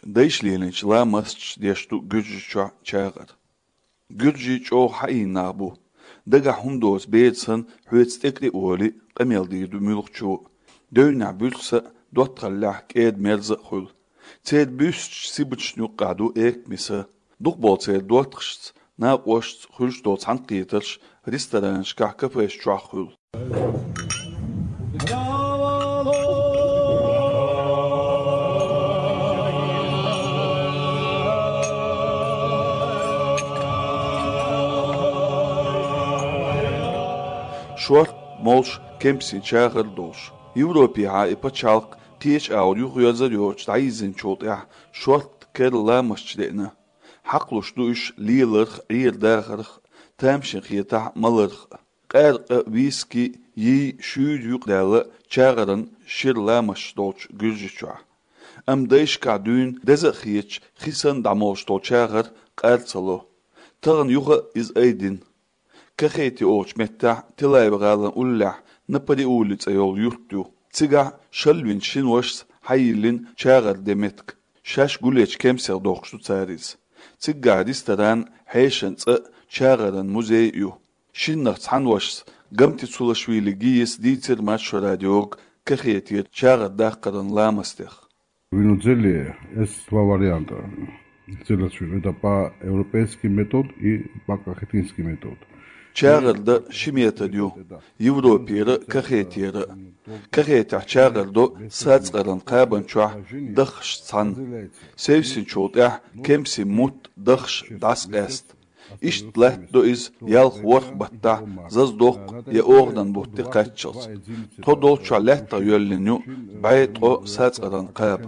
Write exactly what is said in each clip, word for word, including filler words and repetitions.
Дайша лелийначу ламасташа деш ду Гуьржийчохь чагӀар. Гуьржий чӀогӀа хьаийна нах бу. Дагахь хӀума доцу бер санна, хьоьца тӀекӀе а волий, къамел дийр ду муьлххачо а. Девнехь буьрса а, доттагӀаллехь кӀеда-мерза а хуьлу. Церан буьстачу сибаташна юккъехь ду экамиса. Дукхахболу церан доттагӀашца, накъосташца хуьлуш долу цхьаьнакхетарш ресторанашкахь, кафеш чохь хуьлу. Шорта, молуш, кемсийн чагӀар долуш. Европехьа и пачхьалкх кхечу агӀор юхаерзар йоцуш дӀайирзинчул тӀаьхьа шорта, керла ламасташ деана. Хьакхалуш ду уьш леларх а, Ӏер дахарх а, тамашийна хетахь а, маларх а. Къаьркъа, виски, йий шуьйра юкъадаьлла чагӀаран шира ламасташ долчу Гуьржийчохь. Амма дайшкахь дуьйна деза а хеташ, хи санна дӀамолуш долу чагӀар къар ца ло. Тахана юха а иза айдина. Кахети олучу меттехь, Телаев-гӀалин уллехь Напариули цӀе йолу юрт ю. Цигахь шалвинчу шина вашас хьайиллина чагӀар ден меттиг. Шаьш гулъечу кемсех дохкуш ду цара иза. Цигахь ресторан, хьешан цӀа а, чагӀаран музей а ю. Шиннах цхьана вашас, Гамтицулашвили Гияс, дийцира Маршо радиога кахетера чагӀар даккхаран ламастех. Вино дзеле, есть два варианта. Дзеле, это по-европейский метод и по-кахетинский метод. ЧагӀар дан ши метод ю: Европера а, кахетера а. Кахетехь чагӀар до сацкъаран кхабан чохь, даххашца цхьаьна. Севсинчул тӀаьхьа кемсийн мутт, даххаш дӀасакъаьста. Иштта латтадо иза ялх-ворхӀ баттахь, заза доккху я оханан бутте кхаччалц. Тхо долччохь лаьттах йоьллина ю бӀе-ткъо сацкъаран кхаба.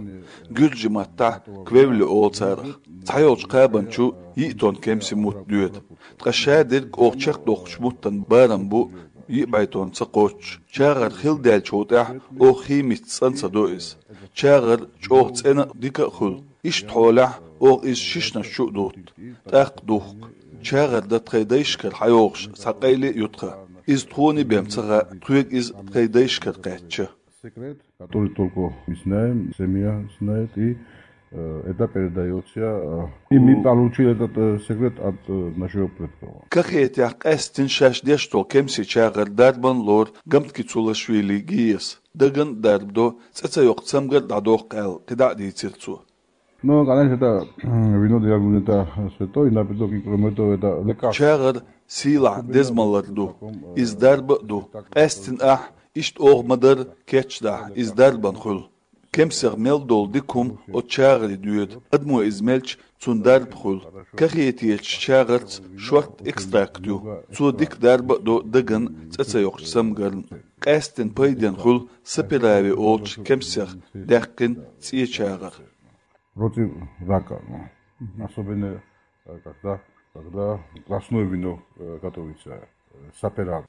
Гуьржийн маттахь квевли олу царах. Цхьайолчу кхабан чу йиъ тонн кемсийн мутт доьду. Ткъа шадерг оха чекхдоккхучу муттан барам бу йиъ бӀе тонн ца кхоччуш. ЧагӀар хилла даьллачул тӀаьхьа оха химица цӀан ца до иза. ЧагӀар чӀогӀа цӀена а, дика а хуьлу. Иштта хьолехь оха иза шишанаш чу а дутту, тӀаккха духку. ЧагӀар дан тхайн дайшкара хьайогӀуш цхьа къайле а ю тхан. Иза тхуна бен ца хаьа, тхоьга иза тхайн дайшкара кхаьчча. Секрет, который только мы знаем, семья знает, и, э, это передаётся, э, и мы получили этот, э, секрет от, э, нашего предков. Кахетехь къаьсттина шаьш деш долу кемсийн чагӀар дарбан лору Гамткицулашвили Гияс. Даган а дарба до, цӀе ца йоккху цамгар а дӀадоккху аьлла, кхидӀа а дийцира цо. Ну, конечно, это, м, вино для меня это святой напиток, и кроме того, это лекарство. ЧагӀар сийлахь деза малар ду, иза дарба а ду. Къаьсттина ахь, иштта оха ма-дарра кечдахь, иза дарбан хуьлу. Кемсех мел долу дика хӀума оцу чагӀаре доьду, адамо иза мелча, цунна дарба хуьлу. Кахетечу чагӀарца шортта экстракт ю, цо дика дарба а до дагна, цӀе ца йоккхучу цамгарна. Къаьсттина пайденна хуьлу саперави олучу кемсех даьккхина цӀе чагӀар. Против рака, ну. Особенно, э, когда, когда красное вино, э, готовится, э, саперави.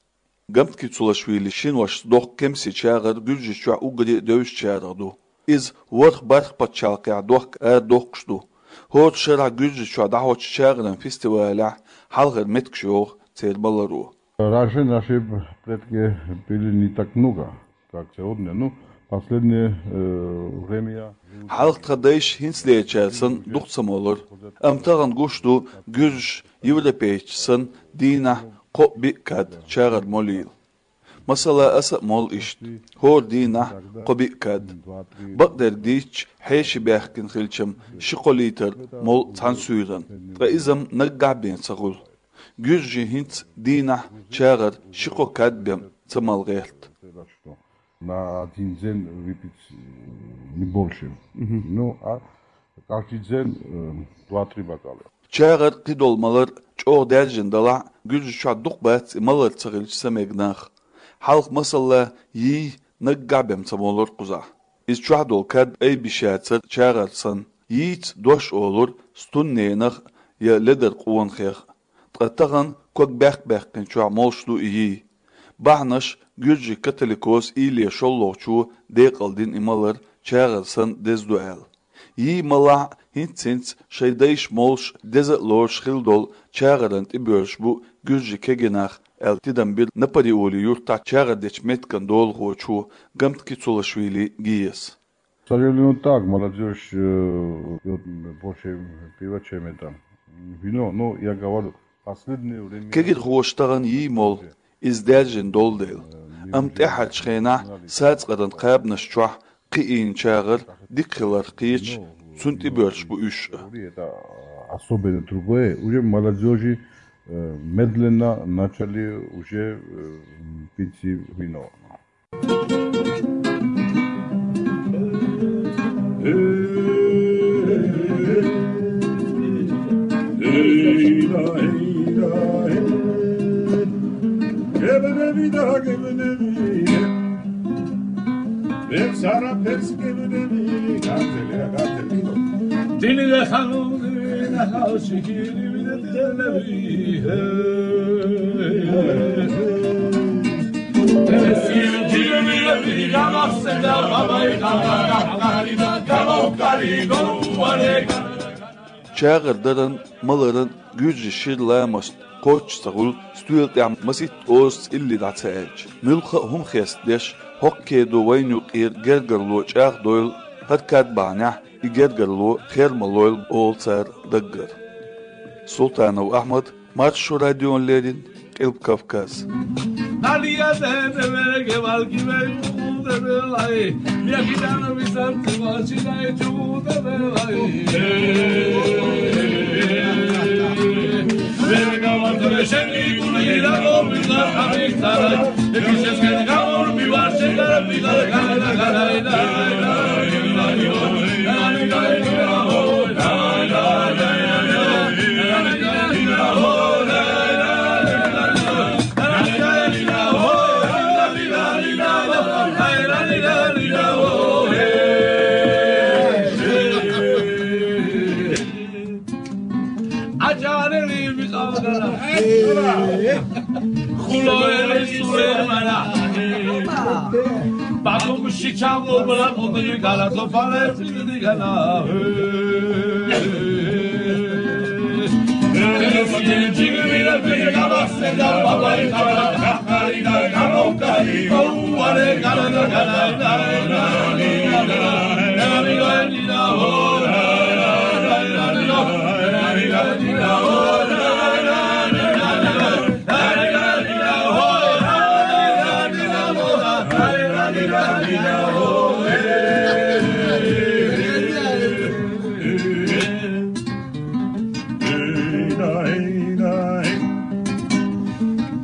Гамткицулашвили шина вашас доккху кемсийн чагӀар Гуьржийчохь уггаре а девзачарах ду. Иза ворхӀ-бархӀ пачхьалкхехь дохка арадоккхуш ду. ХӀора шарахь Гуьржийчохь дӀахьочу чагӀаран фестивалехь хьалхара меттигаш йоху церан маларо. Раньше наши предки пили не так много, как сегодня. Ну, последнее, э, время. Хьалха тхан дайша хӀинцалерчара санна дукха ца молура. Амма тахана гуш ду, гуьржаш европейцаш санна дийнахь кхоъ-биъ кад чагӀар молийла. Масала, аса а молу иштта, хӀора дийнахь кхо-биъ кад. Бакъдерг дийцча, хьеший баьхкина хилчам ши-кхо литр молу цхьана суьйранна, ткъа иза-м наггахь бен ца хуьлу. Гуьржийн хӀинца дийнахь чагӀар ши-кхо кад бен ца мала гӀерта. На один день выпить, э, не больше. Ну, а каждый день, э, два-три бокала. ЧагӀар, кхидолу малар чӀогӀа даьржина далахь а, Гуьржийчохь дукха бац и малар ца хилча самегнах. Хьалха, масала, йий наггахь бен ца молура кхузахь. Иза чохь долу кад айбеш яцара чагӀар санна. Йийца дош олура стунненах я ледар къонахех. Ткъа тахана ког баьккх-баьккхинчохь молуш ду и йий. Бахьанаш гуьржийн католикос Илия шолгӀачо декъалдина и малар чагӀар санна деза ду аьлла. Йий малахь а, хӀинц-хӀинца шайн дайша молуш, деза а лоруш хилла долу чагӀаран тӀебоьрзуш бу гуьржийн кегийнах аьлла, тидам бира Напариули юьртахь чагӀар дечу меттиган долахочо Гамткицулашвили Гияс. К сожалению, так, молодёжь, э, пьёт больше пива, чем это, м, вино. Но я говорю, последнее время... Кегирхоша тахана йий молла, иза даьржина долу дела. Амма тӀаьххьарчу хенахь сацкъаран кхабанаш чохь кхиийна чагӀар дика хилар кхеташ, цунна тӀебоьрзуш бу уьш а. Это особенно другое. Уже молодёжи, э, медленно начали уже, э, пить вино. ЧагӀар даран, маларан гуьржийн шира ламаст кхоччуш ца хуьлу, стоьла тӀехь масийтта озаца илли дӀа ца аьлча. Муьлхха а хӀума хестадеш, хӀокху кедо вайна юккъера гергарло чӀагӀдойла, хӀара кад бахьанехь и гергарло хер ма лойла, олу цара даггара. Султанов Ахьмад, Маршо радиона леррина, Къилба Кавказ.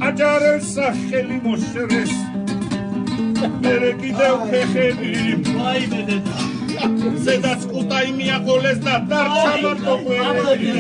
Аджарел саххели мощерес, берекидев хехели. Седас кутайми аколес да дар чамар дохуэли.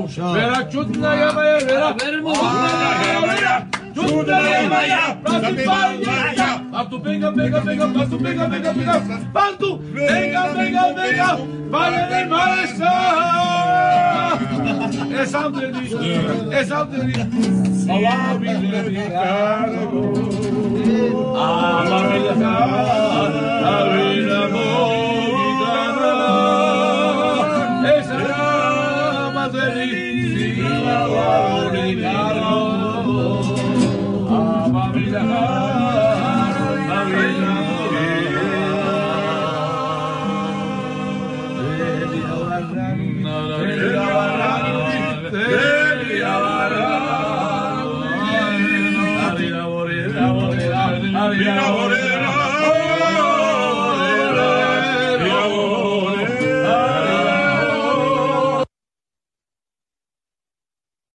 Вера, чудная моя, Вера. Чудная моя, просыпайся. Пасту, бега, бега, бега, пасту, бега, бега, бега. Пасту, бега, бега, бега. Валя, валя, валя. Эсам дери, эсам дери. Ава биле, ава биле, ава биле.